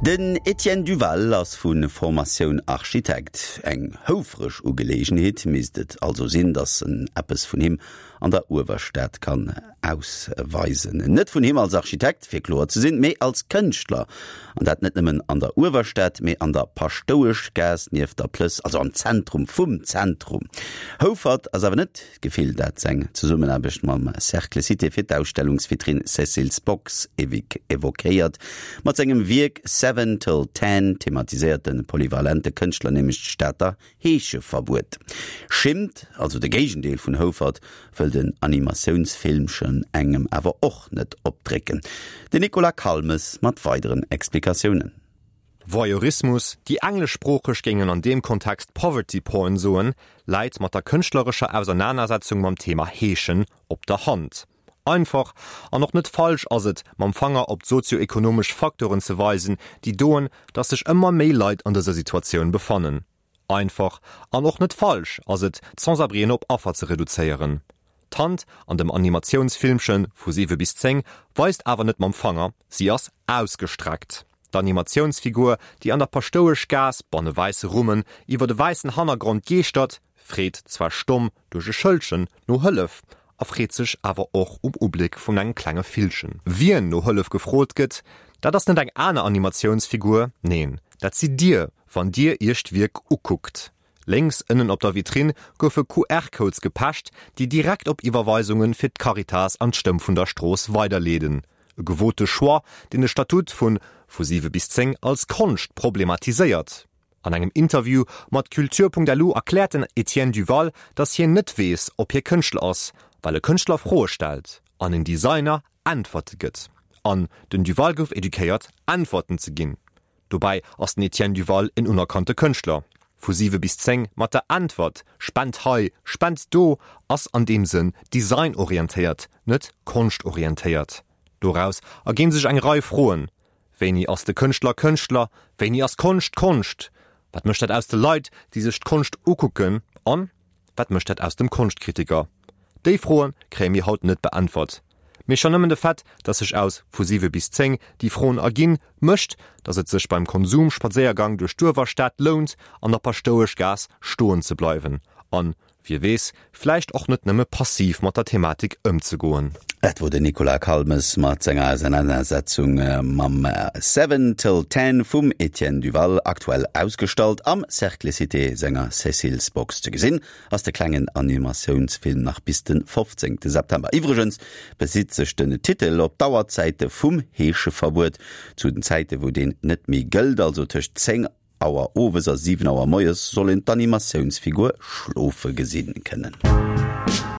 Den Etienne Duval ass vu Formatioun Architekt. Eng houfreg Ugeleegenheet misst et also sinn, datt en eppes vun him an der Uewerstad kann ausweisen. Net vun him als Architekt, fir kloer ze sinn, mee als Kënschtler. An dat net nëmmen an der Uewerstad, mee an der Paschtoueschgaass nieft der Plëss, also am Zentrum vum Zentrum. Houfert ass awer net d'Gefill, dat seng Zesummenaarbecht mam Cercle Cité fir d'Ausstellungsvitrinn Cécile's Box evoquéiert. Mat sengem Wierk Seven till Ten thematiséiert de polyvalente Kënschtler nämlech d'Stater Heescheverbuet. Schimmt, also de Géigendeel vun Houfert, wëll den Animatiounsfilmchen engem awer och net opdrécken. Den Nicolas Calmes mat weideren Explikatiounen. Voyeurismus, déi Engleschsproocheg géingen an deem Kontext Poverty Porn soen, läit mat der kënschtlerescher Ausernanersetzung mam Thema Heeschen op der Hand. Einfach an och net falsch ass et, mam Fanger op d'sozio-ekonomesch Facteuren ze weisen, déi doen, datt sech ëmmer méi Leit an dëser Situatioun befannen. Einfach an och net falsch ass et, d'Sans-abrien op Affer ze reduzéieren. D'Hand an dem Animatiounsfilmche vu 7 bis 10 weist awer net mam Fanger, si ass ausgestreckt. D'Animatiounsfigur, déi an der Paschtoueschgaass banne wäisse Rummen iwwer e wäissen Hannergrond geeschtert, freet zwar stomm duerch e Schëldchen no Hëllef a freet sech awer och um Ubléck vun engem klenge Villchen. Wien no Hëllef gefrot gëtt, dat ass net eng aner Animatiounsfigur, neen, dat sidd Dir, wann Dir Iech d'Wierk ukuckt. Lénks ënnen op der Vitrinn goufe QR-Codes gepecht, déi direkt op Iwwerweisunge fir d'Caritas an d'Stëmm vun der Strooss weiderleeden. E gewote Choix, deen de Statut vun Vu 7 bis 10 als Konscht problematiséiert. An engem Interview mat Culture.lu erkläert den Etienne Duval, datt hien net weess, ob hie Kënschtler ass, well e Kënschtler Froe stellt an en Designer Äntwerte gëtt. An den Duval gouf eduquéiert, Äntwerten ze ginn. Dobäi ass den Etienne Duval en unerkannte Kënschtler. Vu 7 bis 10 mat der Äntwert Spent hei, spent do ass an deem Sënn designorientéiert, net konschtorientéiert. Doraus erginn sech eng Rei Froen, Wéini ass de Kënschtler Kënschtler? Wéini ass Konscht Konscht? Wat mécht dat aus de Leit, déi sech d'Konscht ukucken? An wat mécht dat aus dem Konschtkritiker? Déi Froe kréie mir haut net beäntwert. Mee schonn nëmmen de Fait, dass sech aus vu 7 bis 10 déi Froen erginn, mécht, dass et sech beim Konsum-Spadséiergang duerch d'Uewerstad lount, an der Paschtoueschgaass stoen ze bleiwen an, wie weess, vläicht och net nëmme passiv mat der Thematik ëmzegoen. Dat wor den Nicolas Calmes mat senger Ausenanersetzung mam Seven till Ten vum Etienne Duval, aktuell ausgestallt am Cercle Cité senger Cécile's Box. Ze gesinn ass de klengen Animatiounsfilm nach bis de 15 September. Iwwregens besitt sech den Titel op d'Auerzäite vum Heescheverbuet. Zu den Zäite wou deen net méi gëllt, also tëscht 10 Auer owes a 7 Auer moies, soll een d'Animatiounsfigur schlofe gesinn kënnen.